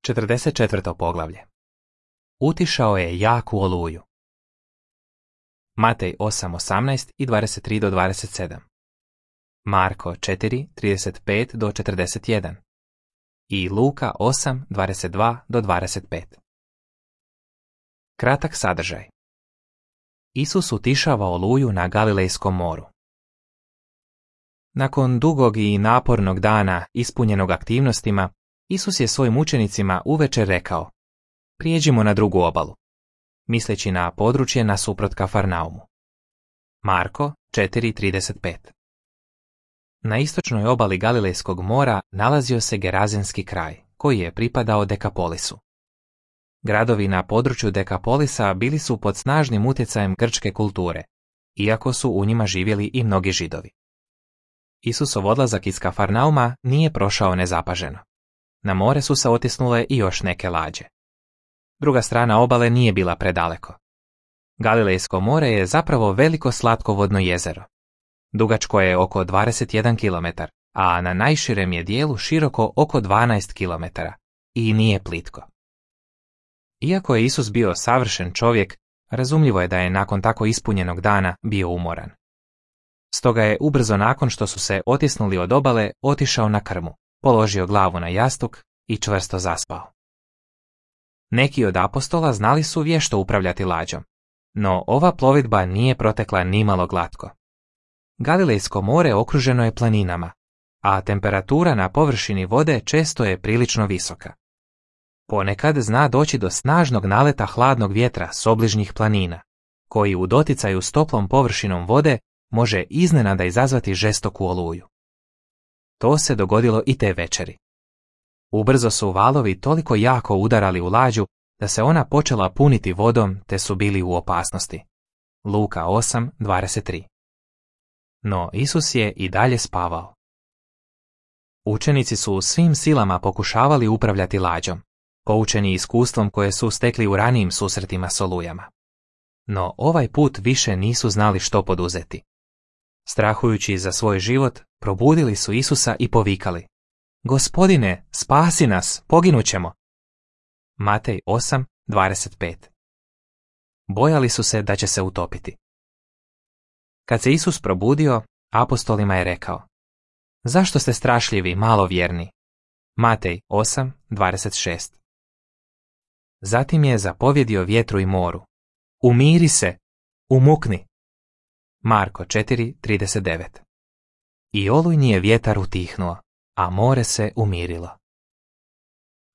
44. poglavlje. Utišao je jaku oluju. Matej 8:18 i 23 do 27. Marko 4:35 do 41. I Luka 8:22 do 25. Kratak sadržaj. Isus utišava oluju na Galilejskom moru. Nakon dugog i napornog dana ispunjenog aktivnostima, Isus je svojim učenicima uvečer rekao: prijeđimo na drugu obalu, misleći na područje nasuprot Kafarnaumu. Marko 4:35. Na istočnoj obali Galilejskog mora nalazio se Gerazenski kraj, koji je pripadao Dekapolisu. Gradovi na području Dekapolisa bili su pod snažnim utjecajem grčke kulture, iako su u njima živjeli i mnogi Židovi. Isusov odlazak iz Kafarnauma nije prošao nezapaženo. Na more su se otisnule i još neke lađe. Druga strana obale nije bila predaleko. Galilejsko more je zapravo veliko slatkovodno jezero. Dugačko je oko 21 km, a na najširem je dijelu široko oko 12 km i nije plitko. Iako je Isus bio savršen čovjek, razumljivo je da je nakon tako ispunjenog dana bio umoran. Stoga je ubrzo nakon što su se otisnuli od obale otišao na krmu, položio glavu na jastuk i čvrsto zaspao. Neki od apostola znali su vješto upravljati lađom, no ova plovidba nije protekla nimalo glatko. Galilejsko more okruženo je planinama, a temperatura na površini vode često je prilično visoka. Ponekad zna doći do snažnog naleta hladnog vjetra s obližnjih planina, koji u doticaju s toplom površinom vode može iznenada izazvati žestoku oluju. To se dogodilo i te večeri. Ubrzo su valovi toliko jako udarali u lađu da se ona počela puniti vodom te su bili u opasnosti. Luka 8:23. No Isus je i dalje spavao. Učenici su svim silama pokušavali upravljati lađom, poučeni iskustvom koje su stekli u ranijim susretima s olujama. No ovaj put više nisu znali što poduzeti. Strahujući za svoj život, probudili su Isusa i povikali: Gospodine, spasi nas, poginućemo. Matej 8:25. Bojali su se da će se utopiti. Kad se Isus probudio, apostolima je rekao: zašto ste strašljivi, malovjerni? Matej 8:26. Zatim je zapovjedio vjetru i moru: umiri se, umukni. Marko 4:39. I olujni je vjetar utihnuo, a more se umirilo.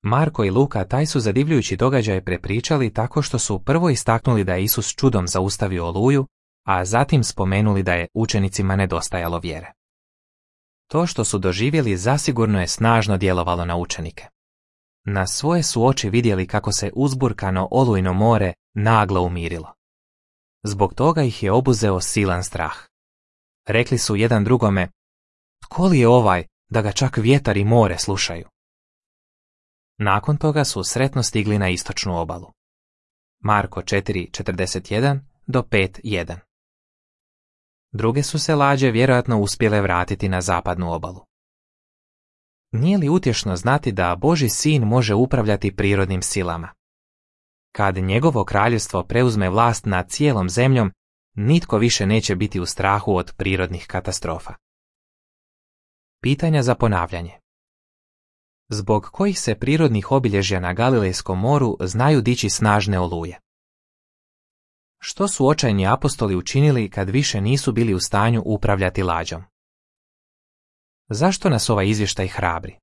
Marko i Luka taj su zadivljujući događaj prepričali tako što su prvo istaknuli da je Isus čudom zaustavio oluju, a zatim spomenuli da je učenicima nedostajalo vjere. To što su doživjeli zasigurno je snažno djelovalo na učenike. Na svoje su oči vidjeli kako se uzburkano olujno more naglo umirilo. Zbog toga ih je obuzeo silan strah. Rekli su jedan drugome: tko li je ovaj da ga čak vjetar i more slušaju? Nakon toga su sretno stigli na istočnu obalu. Marko 4:41 do 5:1. Druge su se lađe vjerojatno uspjele vratiti na zapadnu obalu. Nije li utješno znati da Božji sin može upravljati prirodnim silama? Kad njegovo kraljevstvo preuzme vlast nad cijelom zemljom, nitko više neće biti u strahu od prirodnih katastrofa. Pitanja za ponavljanje. Zbog kojih se prirodnih obilježja na Galilejskom moru znaju dići snažne oluje? Što su očajni apostoli učinili kad više nisu bili u stanju upravljati lađom? Zašto nas ovaj izvještaj hrabri?